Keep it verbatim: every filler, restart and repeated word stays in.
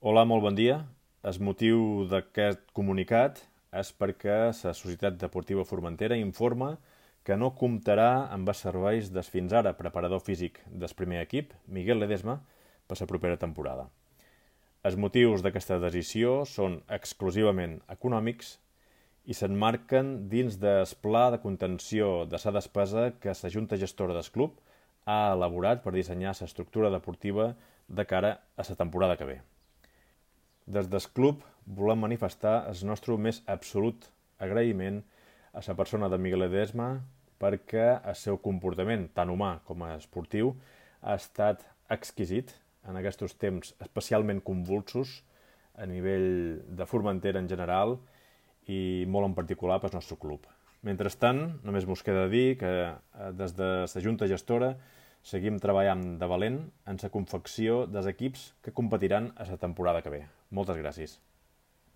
Hola, molt bon dia. El motiu d'aquest comunicat és perquè la Societat Deportiva Formentera informa que no comptarà amb els serveis del fins ara preparador físic del primer equip, Miguel Ledesma, per la propera temporada. Els motius d'aquesta decisió són exclusivament econòmics i s'emmarquen dins del pla de contenció de la despesa que la Junta Gestora del club ha elaborat per dissenyar l'estructura deportiva de cara a la temporada que ve. Des del club volem manifestar el nostre més absolut agraïment a la persona de Miguel Ledesma perquè el seu comportament, tant humà com esportiu, ha estat exquisit en aquests temps especialment convulsos a nivell de Formentera en general i molt en particular pel nostre club. Mentrestant, només mos queda dir que des de la Junta Gestora seguim treballant de valent en la confecció dels equips que competiran a la temporada que ve. Moltes gràcies.